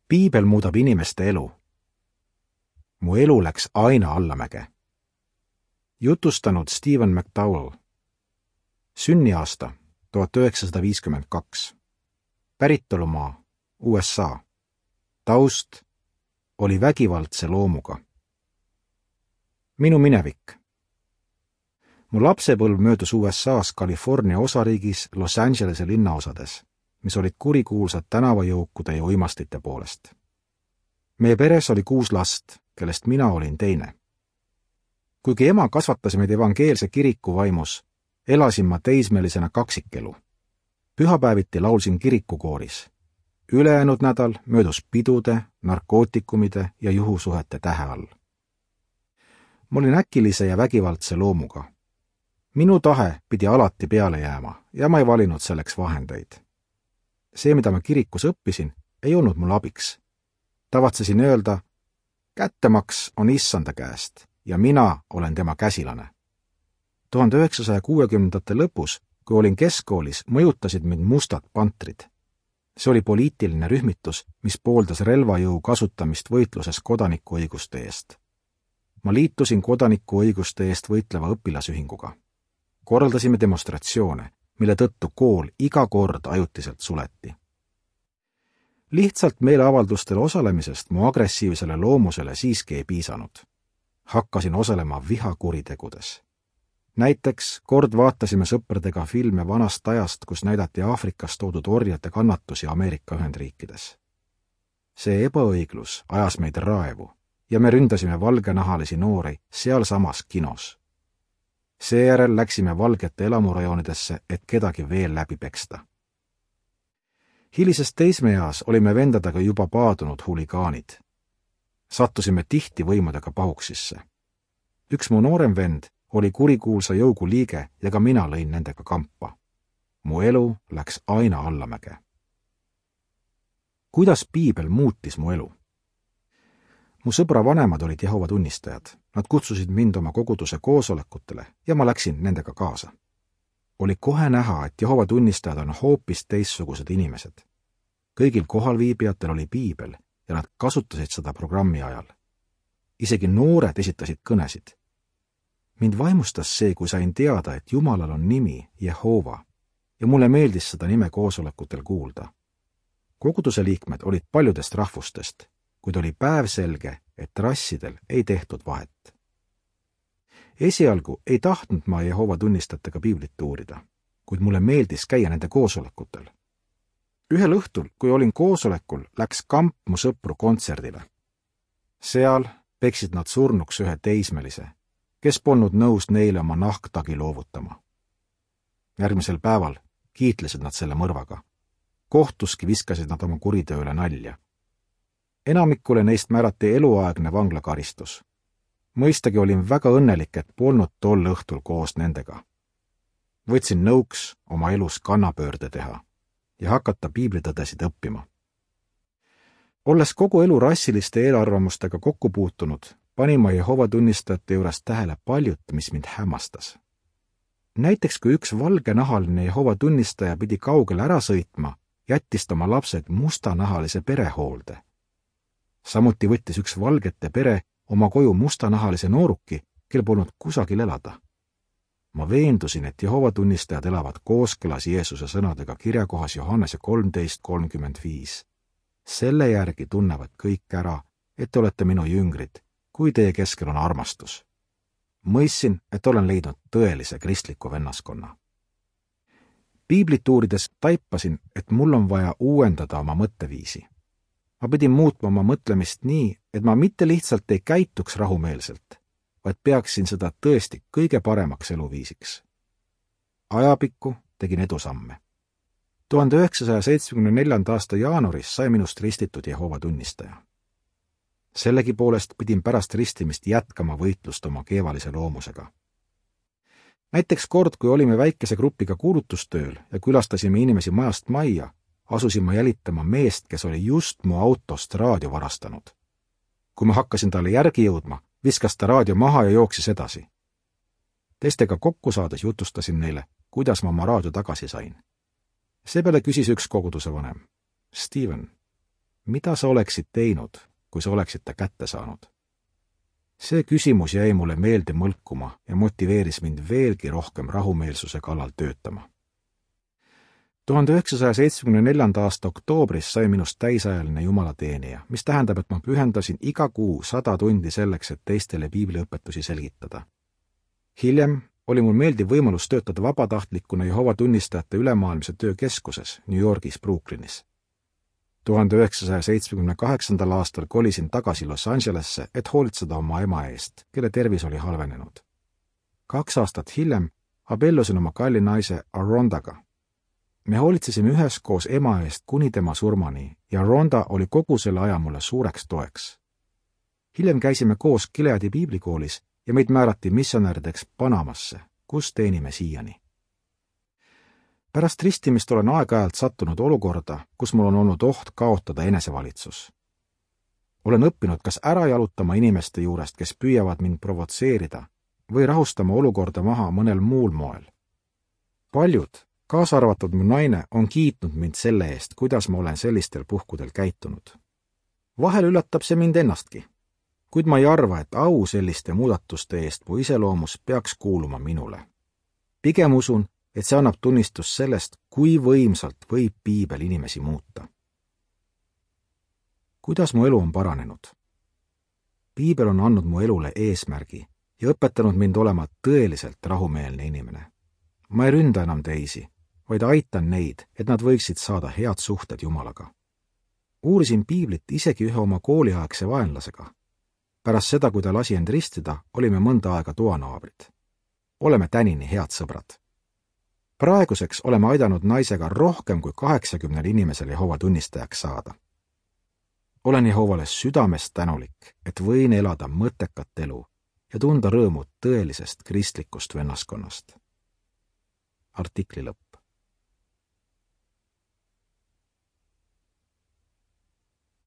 Piibel muudab inimeste elu. Mu elu läks aina allamäge. Jutustanud Stephen McDowell. Sünniaasta 1952. Päritolumaa USA. Taust oli vägivaldse loomuga. Minu minevik. Mu lapsepõlv möödus USA's California osariigis Los Angelese linnaosades, mis olid kurikuulsad tänavajõukude ja uimastite poolest. Meie peres oli 6 last, kellest mina olin teine. Kuigi ema kasvatas meid evangeelse kiriku vaimus, elasin ma teismelisena kaksikelu. Pühapäeviti laulsin kirikukooris. Ülejäänud nädal möödus pidude, narkootikumide ja juhusuhete tähe all. Ma olin äkilise ja vägivaldse loomuga. Minu tahe pidi alati peale jääma ja ma ei valinud selleks vahendeid. See, mida ma kirikus õppisin, ei olnud mul abiks. Tavatsesin öelda, kättemaks on issanda käest ja mina olen tema käsilane. 1960-ndate lõpus, kui olin keskkoolis, mõjutasid mind mustad pantrid. See oli poliitiline rühmitus, mis pooldas relvajõu kasutamist võitluses kodanikuõiguste eest. Ma liitusin kodanikuõiguste eest võitleva õpilasühinguga. Korraldasime demonstratsioone, mille tõttu kool iga kord ajutiselt suleti. Lihtsalt meeleavaldustel osalemisest mu agressiivsele loomusele siiski ei piisanud. Hakkasin osalema vihakuritegudes. Näiteks kord vaatasime sõpradega filme vanast ajast, kus näidati Aafrikas toodud orjade kannatusi Ameerika Ühendriikides. See ebaõiglus ajas meid raevu ja me ründasime valgenahalisi noori sealsamas kinos. Seejärel läksime valgete elamurajoonidesse, et kedagi veel läbi peksta. Hilises teismeeas olime vendadega juba paadunud huligaanid. Sattusime tihti võimudega pahuksisse. Üks mu noorem vend oli kurikuulsa jõugu liige ja ka mina lõin nendega kampa. Mu elu läks aina allamäge. Kuidas Piibel muutis mu elu? Mu sõbra vanemad olid Jehova tunnistajad. Nad kutsusid mind oma koguduse koosolekutele ja ma läksin nendega kaasa. Oli kohe näha, et Jehova tunnistajad on hoopis teistsugused inimesed. Kõigil kohalviibijatel oli Piibel ja nad kasutasid seda programmi ajal. Isegi noored esitasid kõnesid. Mind vaimustas see, kui sain teada, et Jumalal on nimi Jehova ja mulle meeldis seda nime koosolekutel kuulda. Koguduse liikmed olid paljudest rahvustest, kuid oli päevselge, et rassidel ei tehtud vahet. Esialgu ei tahtnud ma Jehova tunnistajatega Piiblit uurida, kuid mulle meeldis käia nende koosolekutel. Ühel õhtul, kui olin koosolekul, läks kamp mu sõpru kontserdile. Seal peksid nad surnuks ühe teismelise, kes polnud nõus neile oma nahktagi loovutama. Järgmisel päeval kiitlesid nad selle mõrvaga. Kohtuski viskasid nad oma kuritööle nalja. Enamikule neist määrati eluaegne vanglakaristus. Mõistagi olin väga õnnelik, et polnud tol õhtul koos nendega. Võtsin nõuks oma elus kannapöörde teha ja hakata piiblitõdesid õppima. Olles kogu elu rassiliste eelarvamustega kokku puutunud, panin ma Jehova tunnistajate juures tähele paljut, mis mind hämmastas. Näiteks kui üks valgenahaline Jehova tunnistaja pidi kaugele ära sõitma, jättis ta oma lapsed mustanahalise perehoolde. Samuti võttis üks valgete pere oma koju mustanahalise nooruki, kel polnud kusagil elada. Ma veendusin, et Jehova tunnistajad elavad kooskõlas Jeesuse sõnadega kirjakohas Johannese 13:35. Selle järgi tunnevad kõik ära, et te olete minu jüngrid, kui teie keskel on armastus. Mõistsin, et olen leidnud tõelise kristliku vennaskonna. Piiblit uurides taipasin, et mul on vaja uuendada oma mõtteviisi. Ma pidin muutma oma mõtlemist nii, et ma mitte lihtsalt ei käituks rahumeelselt, vaid peaksin seda tõesti kõige paremaks eluviisiks. Ajapikku tegin edusamme. 1974. aasta jaanuaris sai minust ristitud Jehova tunnistaja. Sellegipoolest pidin pärast ristimist jätkama võitlust oma keevalise loomusega. Näiteks kord, kui olime väikese grupiga kuulutustööl ja külastasime inimesi majast majja, asusin ma jälitama meest, kes oli just mu autost raadio varastanud. Kui ma hakkasin talle järgi jõudma, viskas ta raadio maha ja jooksis edasi. Teistega kokku saades jutustasin neile, kuidas ma oma raadio tagasi sain. Seepeale küsis üks koguduse vanem. Steven, mida sa oleksid teinud, kui sa oleksid ta kätte saanud? See küsimus jäi mulle meelde mõlkuma ja motiveeris mind veelgi rohkem rahumeelsuse kallal töötama. 1974. aasta oktoobris sai minust täisajaline jumalateenija, mis tähendab, et ma pühendasin iga kuu 100 tundi selleks, et teistele piibliõpetusi selgitada. Hiljem oli mul meeldiv võimalus töötada vabatahtlikuna Jehoova tunnistajate ülemaailmse töökeskuses New Yorgis Brooklynis. 1978. aastal kolisin tagasi Los Angelesse, et hoolitseda oma ema eest, kelle tervis oli halvenenud. 2 aastat hiljem abiellusin oma kalli naise Arondaga. Me hoolitsesime üheskoos ema eest kuni tema surmani ja Ronda oli kogu selle aja mulle suureks toeks. Hiljem käisime koos Gileadi piiblikoolis ja meid määrati missionärideks Panamasse, kus teenime siiani. Pärast ristimist olen aeg-ajalt sattunud olukorda, kus mul on olnud oht kaotada enesevalitsus. Olen õppinud kas ära jalutama inimeste juurest, kes püüavad mind provotseerida, või rahustama olukorda maha mõnel muul moel. Paljud, kaasa arvatud mu naine, on kiitnud mind selle eest, kuidas ma olen sellistel puhkudel käitunud. Vahel üllatab see mind ennastki, kuid ma ei arva, et au selliste muudatuste eest mu iseloomus peaks kuuluma minule. Pigem usun, et see annab tunnistust sellest, kui võimsalt võib piibel inimesi muuta. Kuidas mu elu on paranenud? Piibel on andnud mu elule eesmärgi ja õpetanud mind olema tõeliselt rahumeelne inimene. Ma ei ründa enam teisi, vaid aitan neid, et nad võiksid saada head suhted Jumalaga. Uurisin piiblit isegi ühe oma kooliaegse vaenlasega. Pärast seda, kui ta lasi end ristida, olime mõnda aega toanaabrid. Oleme tänini head sõbrad. Praeguseks oleme aidanud naisega rohkem kui 80 inimesel Jehova tunnistajaks saada. Olen Jehovale südamest tänulik, et võin elada mõttekat elu ja tunda rõõmu tõelisest kristlikust vennaskonnast. Artikli lõpp.